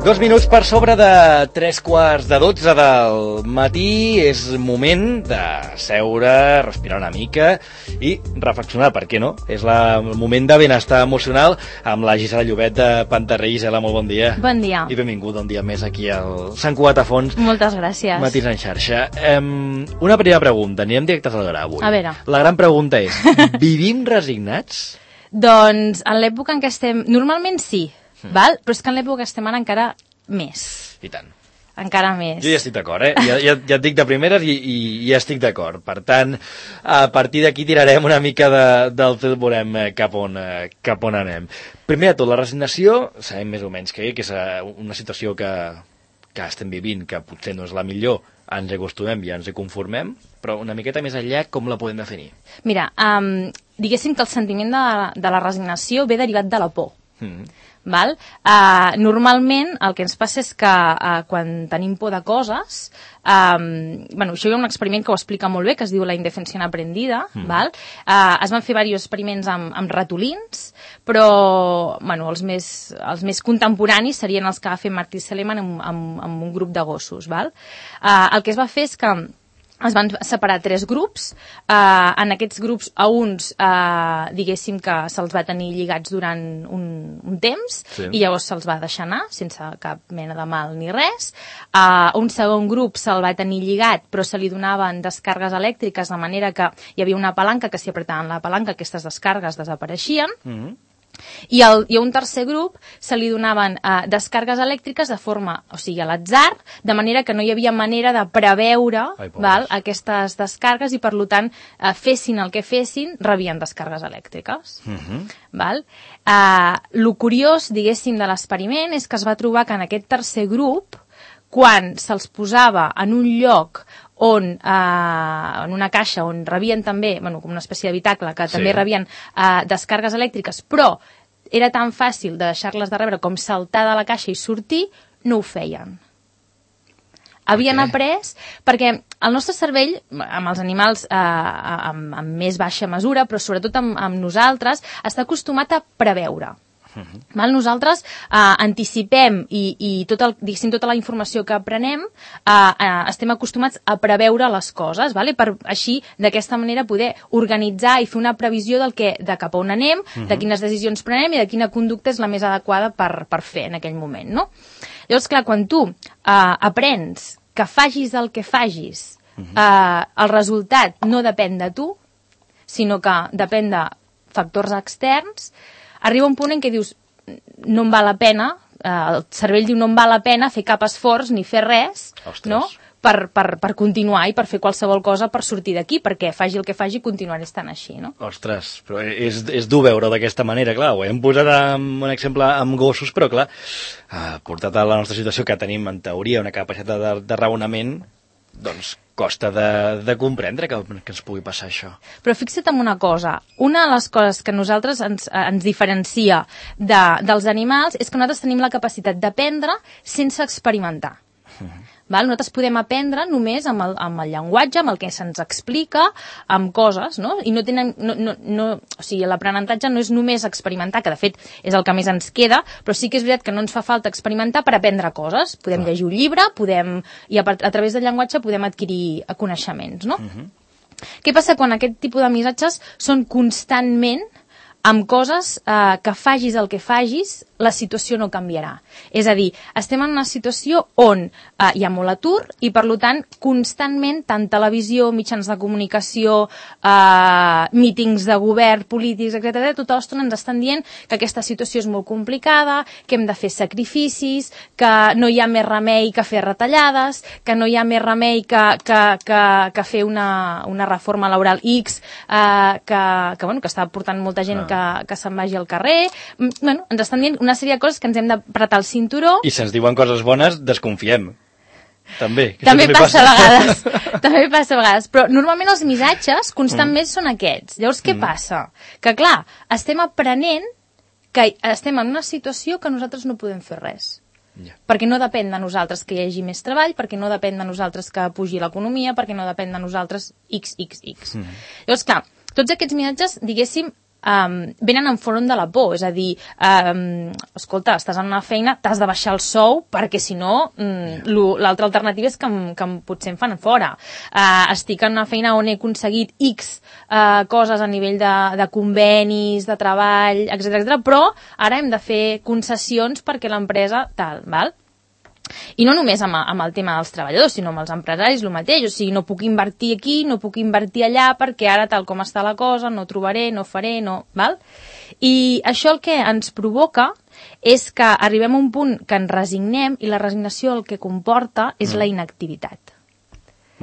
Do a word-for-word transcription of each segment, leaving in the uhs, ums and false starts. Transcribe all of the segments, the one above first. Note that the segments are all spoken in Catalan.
Dos minuts per sobre de tres quarts de dotze del matí. És moment de seure, respirar una mica i reflexionar, per què no? És la, el moment de benestar emocional amb la Gisela Llobet de Pantarrey. Gisela, molt bon dia. Bon dia. I benvingut un dia més aquí al Sant Cugat a Fons. Moltes gràcies. Matins en xarxa. Um, una primera pregunta, anirem directes al gra avui. A veure. La gran pregunta és, vivim resignats? Doncs en l'època en què estem... Normalment sí, mm. val? Però és que en l'època que estem ara encara més. I tant. Encara més. Jo ja estic d'acord, eh? Ja, ja, ja et dic de primeres i, i, i ja estic d'acord. Per tant, a partir d'aquí tirarem una mica de, del fil, veurem cap on, cap on anem. Primer de tot, la resignació, sabem més o menys que, que és una situació que, que estem vivint, que potser no és la millor, ens hi acostumem i ens hi conformem, però una miqueta més enllà, com la podem definir? Mira, um, diguéssim que el sentiment de, de la resignació ve derivat de la por. Mm. Val? Uh, normalment el que ens passa és que uh, quan tenim por de coses, um, bueno, això hi ha un experiment que ho explica molt bé, que es diu la indefensió aprendida, mm. val? Uh, es van fer diversos experiments amb, amb ratolins, però bueno, els, més, els més contemporanis serien els que va fer Martí Seligman amb, amb, amb un grup de gossos. Val? Uh, el que es va fer és que es van separar tres grups. Eh, en aquests grups a uns, eh, diguéssim que se'ls va tenir lligats durant un, un temps, sí. I llavors se'ls va deixar anar, sense cap mena de mal ni res. A uh, un segon grup se'l va tenir lligat, però se li donaven descàrregues elèctriques, de manera que hi havia una palanca que si apretaven la palanca aquestes descàrregues desapareixien. Mm-hmm. I, el, i a un tercer grup se li donaven eh, descàrregues elèctriques de forma, o sigui, a l'atzar, de manera que no hi havia manera de preveure Ai, val, aquestes descàrregues i, per tant, eh, fessin el que fessin, rebien descàrregues elèctriques. Uh-huh. Val? Eh, lo curiós, diguéssim, de l'experiment és que es va trobar que en aquest tercer grup, quan se'ls posava en un lloc on, eh, en una caixa on rebien també, bueno, com una espècie d'habitacle, que sí. També rebien eh, descàrregues elèctriques, però era tan fàcil de deixar-les de rebre com saltar de la caixa i sortir, no ho feien. Havien après, perquè el nostre cervell, amb els animals eh, amb, amb més baixa mesura, però sobretot amb, amb nosaltres, està acostumat a preveure. Uh-huh. Val? Nosaltres eh, anticipem i, i tot el, diguéssim, tota la informació que aprenem eh, eh, estem acostumats a preveure les coses, vale? Per així d'aquesta manera poder organitzar i fer una previsió del que, de cap a on anem, uh-huh. De quines decisions prenem i de quina conducta és la més adequada per, per fer en aquell moment, no? Llavors, clar, quan tu eh, aprens que facis el que facis, uh-huh. eh, el resultat no depèn de tu, sinó que depèn de factors externs, arriba un punt en què dius, no em val la pena, eh, el cervell diu no em val la pena fer cap esforç ni fer res, Ostres. No? Per, per, per continuar i per fer qualsevol cosa per sortir d'aquí, perquè faci el que faci continuaré estant així, no? Ostres, però és, és dur veure d'aquesta manera, clar, ho hem posat amb un exemple amb gossos, però clar, eh, portat a la nostra situació que tenim en teoria una capacitat de, de raonament, doncs costa de, de comprendre que, que ens pugui passar això. Però fixa't en una cosa, una de les coses que nosaltres ens, ens diferencia de, dels animals és que nosaltres tenim la capacitat d'aprendre sense experimentar. Uh-huh. Val? Nosaltres podem aprendre només amb el, amb el llenguatge, amb el que se'ns explica, amb coses, no? I no tenen, no, no, no, o sigui, l'aprenentatge no és només experimentar, que de fet és el que més ens queda, però sí que és veritat que no ens fa falta experimentar per aprendre coses. Podem llegir un llibre, podem, i a, a través del llenguatge podem adquirir coneixements, no? Uh-huh. Què passa quan aquest tipus de missatges són constantment amb coses eh, que facis el que facis, la situació no canviarà. És a dir, estem en una situació on eh, hi ha molt atur i, per tant, constantment, tant televisió, mitjans de comunicació, eh, mítings de govern, polítics, etcètera, tota l'estona ens estan dient que aquesta situació és molt complicada, que hem de fer sacrificis, que no hi ha més remei que fer retallades, que no hi ha més remei que, que, que, que fer una, una reforma laboral X eh, que, que, bueno, que està portant molta gent ah. que, que se'n vagi al carrer. Bueno, ens estan dient una sèrie de coses que ens hem d'apretar el cinturó. I si ens diuen coses bones, desconfiem. També. També passa, passa a vegades. També passa a vegades. Però normalment els missatges constantment mm. són aquests. Llavors, què mm. passa? Que, clar, estem aprenent que estem en una situació que nosaltres no podem fer res. Yeah. Perquè no depèn de nosaltres que hi hagi més treball, perquè no depèn de nosaltres que pugi l'economia, perquè no depèn de nosaltres X, X, X. Mm. Llavors, clar, tots aquests missatges, diguéssim, um, venen en front de la por, és a dir, um, escolta, estàs en una feina, t'has de baixar el sou perquè si no mm, l'altra alternativa és que, em, que em, potser em fan fora. Uh, estic en una feina on he aconseguit X uh, coses a nivell de, de convenis, de treball, etcètera, etcètera, però ara hem de fer concessions perquè l'empresa tal, val? I no només amb, amb el tema dels treballadors, sinó amb els empresaris, el mateix. O sigui, no puc invertir aquí, no puc invertir allà, perquè ara, tal com està la cosa, no trobaré, no faré, no... Val? I això el que ens provoca és que arribem a un punt que ens resignem i la resignació el que comporta és mm. la inactivitat.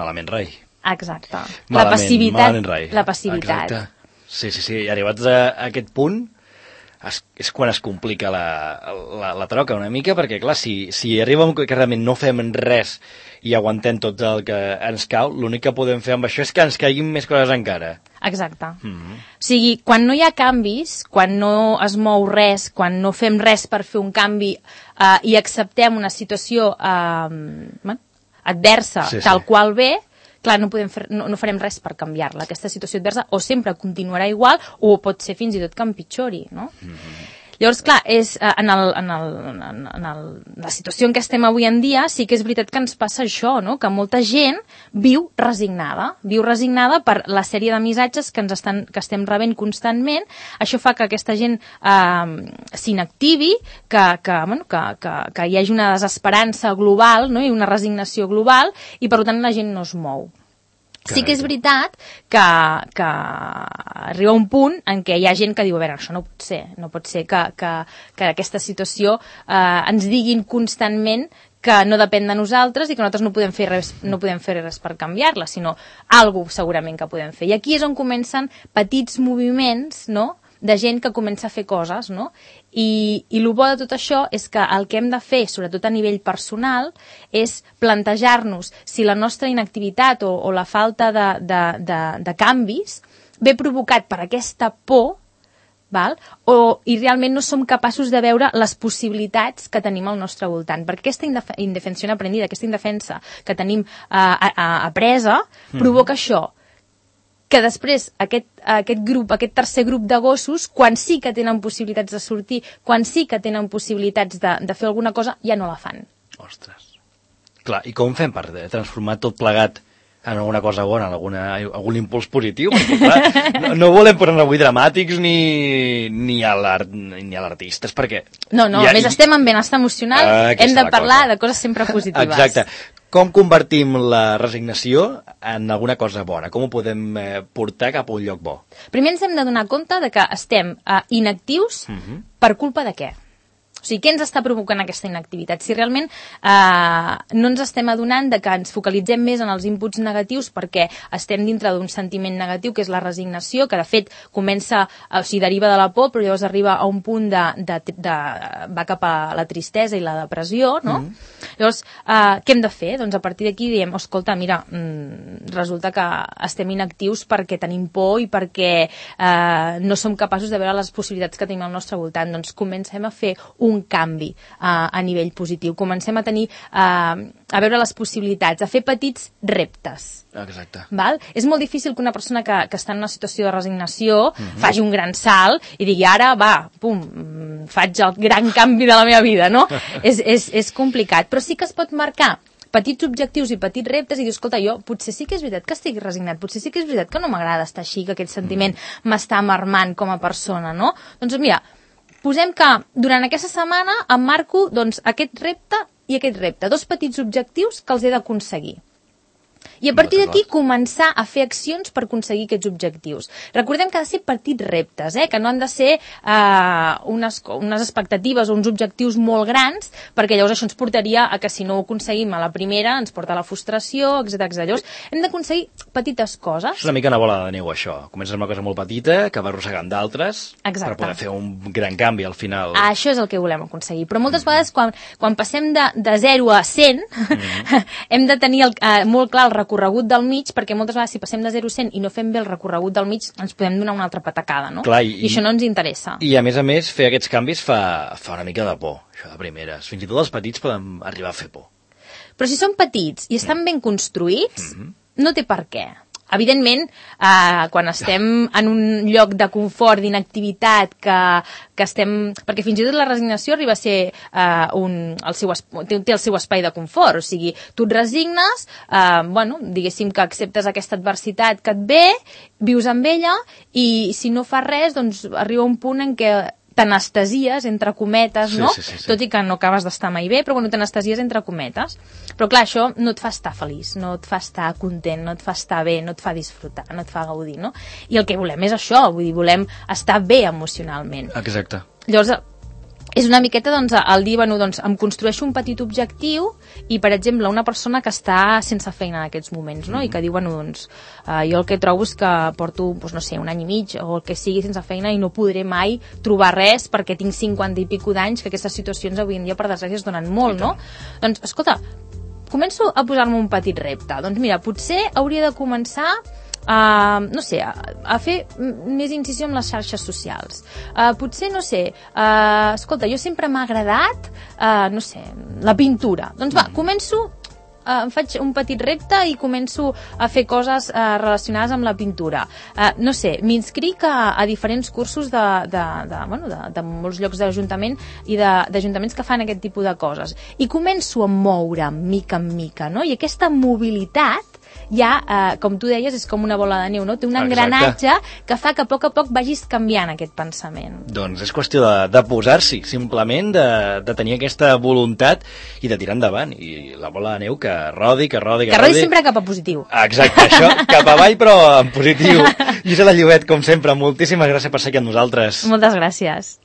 Malament rai. Exacte. Malament, la passivitat. Malament rai. La passivitat. Exacte. Sí, sí, sí. I arribats a, a aquest punt... Es, és quan es complica la, la, la troca una mica, perquè clar, si, si arriba un que realment no fem res i aguantem tot el que ens cau, l'únic que podem fer amb això és que ens caiguin més coses encara. Exacte. Mm-hmm. O sigui, quan no hi ha canvis, quan no es mou res, quan no fem res per fer un canvi eh, i acceptem una situació eh, adversa sí, tal sí. qual ve, clar, no, podem fer, no, no farem res per canviar-la. Aquesta situació adversa o sempre continuarà igual o pot ser fins i tot que empitjori, no? Mm-hmm. Llavors, clar, és, en, el, en, el, en el, la situació en què estem avui en dia sí que és veritat que ens passa això, no? Que molta gent viu resignada, viu resignada per la sèrie de missatges que, ens estan, que estem rebent constantment. Això fa que aquesta gent eh, s'inactivi, que, que, bueno, que, que, que hi hagi una desesperança global, no? I una resignació global, i per tant la gent no es mou. Sí que és veritat que, que arriba un punt en què hi ha gent que diu, a veure, això no pot ser, no pot ser que, que, que aquesta situació eh, ens diguin constantment que no depèn de nosaltres i que nosaltres no podem fer res, no podem fer res per canviar-la, sinó alguna segurament que podem fer. I aquí és on comencen petits moviments, no?, de gent que comença a fer coses, no? I, i el bo de tot això és que el que hem de fer, sobretot a nivell personal, és plantejar-nos si la nostra inactivitat o, o la falta de, de, de, de canvis ve provocat per aquesta por, val? O, i realment no som capaços de veure les possibilitats que tenim al nostre voltant. Perquè aquesta indef indefensió aprendida, aquesta indefensa que tenim eh, a, a, apresa, mm. provoca això, que després aquest, aquest grup, aquest tercer grup de gossos, quan sí que tenen possibilitats de sortir, quan sí que tenen possibilitats de, de fer alguna cosa, ja no la fan. Ostres. Clar, i com fem per transformar tot plegat en alguna cosa bona, en alguna, algun impuls positiu? Perquè, clar, no, no volem posar avui dramàtics ni, ni a l'artistes, perquè... No, no, ha, a més i... estem en benestar emocional, ah, hem de parlar cosa. de coses sempre positives. Exacte. Com convertim la resignació en alguna cosa bona? Com ho podem eh, portar cap a un lloc bo? Primer ens hem de donar compte de que estem eh, inactius uh-huh. per culpa de què? O sigui, què ens està provocant aquesta inactivitat? Si realment eh, no ens estem adonant de que ens focalitzem més en els inputs negatius perquè estem dintre d'un sentiment negatiu, que és la resignació, que de fet comença, o sigui, deriva de la por, però llavors arriba a un punt de, de, de va cap a la tristesa i la depressió, no? Mm. Llavors, eh, què hem de fer? Doncs a partir d'aquí diem, escolta, mira, mm, resulta que estem inactius perquè tenim por i perquè eh, no som capaços de veure les possibilitats que tenim al nostre voltant. Doncs comencem a fer un canvi uh, a nivell positiu. Comencem a tenir, uh, a veure les possibilitats, a fer petits reptes. Exacte. Val? És molt difícil que una persona que, que està en una situació de resignació uh-huh. faci un gran salt i digui, ara, va, pum, faig el gran canvi de la meva vida, no? és, és, és complicat, però sí que es pot marcar petits objectius i petits reptes i dir, escolta, jo potser sí que és veritat que estic resignat, potser sí que és veritat que no m'agrada estar així, que aquest sentiment m'està amarmant com a persona, no? Doncs mira, posem que durant aquesta setmana em marco doncs, aquest repte i aquest repte, dos petits objectius que els he d'aconseguir. I a partir d'aquí començar a fer accions per aconseguir aquests objectius. Recordem que ha de ser petits reptes, eh? Que no han de ser eh, unes, unes expectatives o uns objectius molt grans, perquè llavors això ens portaria a que si no ho aconseguim a la primera ens porta a la frustració, etcètera etcètera. Llavors hem d'aconseguir petites coses. És una mica una bola de neu, això. Comences amb una cosa molt petita que va arrossegant d'altres per poder fer un gran canvi al final. Ah, això és el que volem aconseguir. Però moltes mm. vegades quan, quan passem de, de zero a cent mm. hem de tenir el, eh, molt clar el recorregut del mig, perquè moltes vegades si passem de zero a cent i no fem bé el recorregut del mig ens podem donar una altra patacada, no? Clar, i, I això no ens interessa. I a més a més fer aquests canvis fa, fa una mica de por, això de primeres. Fins i tot els petits poden arribar a fer por. Però si són petits i estan mm. ben construïts, mm-hmm. no té per què. Evidentment, eh, quan estem en un lloc de confort, d'inactivitat, que, que estem... Perquè fins i tot la resignació arriba a ser eh, un, el seu, té, té el seu espai de confort, o sigui, tu et resignes, eh, bueno, diguéssim que acceptes aquesta adversitat que et ve, vius amb ella, i si no fas res, doncs arriba un punt en què t'anestesies, entre cometes, no? Sí, sí, sí, sí. Tot i que no acabes d'estar mai bé, però bueno, t'anestesies entre cometes. Però clar, això no et fa estar feliç, no et fa estar content, no et fa estar bé, no et fa disfrutar, no et fa gaudir, no? I el que volem és això, vull dir, volem estar bé emocionalment. Exacte. Llavors, és una miqueta, doncs, el dir, bueno, doncs, em construeixo un petit objectiu i, per exemple, una persona que està sense feina en aquests moments, no? Mm-hmm. I que diu, bueno, doncs, eh, jo el que trobo és que porto, doncs, no sé, un any i mig o el que sigui sense feina i no podré mai trobar res perquè tinc cinquanta i pico d'anys, que aquestes situacions avui en dia, per desgràcia, es donen molt, no? Doncs, escolta, començo a posar-me un petit repte. Doncs mira, potser hauria de començar Uh, no sé, a, a fer més incisió amb les xarxes socials. Uh, potser, no sé, uh, escolta, jo sempre m'ha agradat, uh, no sé, la pintura. Doncs va, començo, uh, em faig un petit repte i començo a fer coses uh, relacionades amb la pintura. Uh, no sé, m'inscric a, a diferents cursos de, de, de, bueno, de, de molts llocs de l'Ajuntament i d'ajuntaments que fan aquest tipus de coses. I començo a moure mica en mica, no? I aquesta mobilitat ja, eh, com tu deies, és com una bola de neu, no? Té un engranatge que fa que a poc a poc vagis canviant aquest pensament. Doncs és qüestió de, de posar-s'hi, simplement, de, de tenir aquesta voluntat i de tirar endavant. I la bola de neu que rodi, que rodi, que, que rodi. Que rodi sempre cap a positiu. Exacte, això, cap avall però en positiu. Gisela Llobet, com sempre, moltíssimes gràcies per ser aquí amb nosaltres. Moltes gràcies.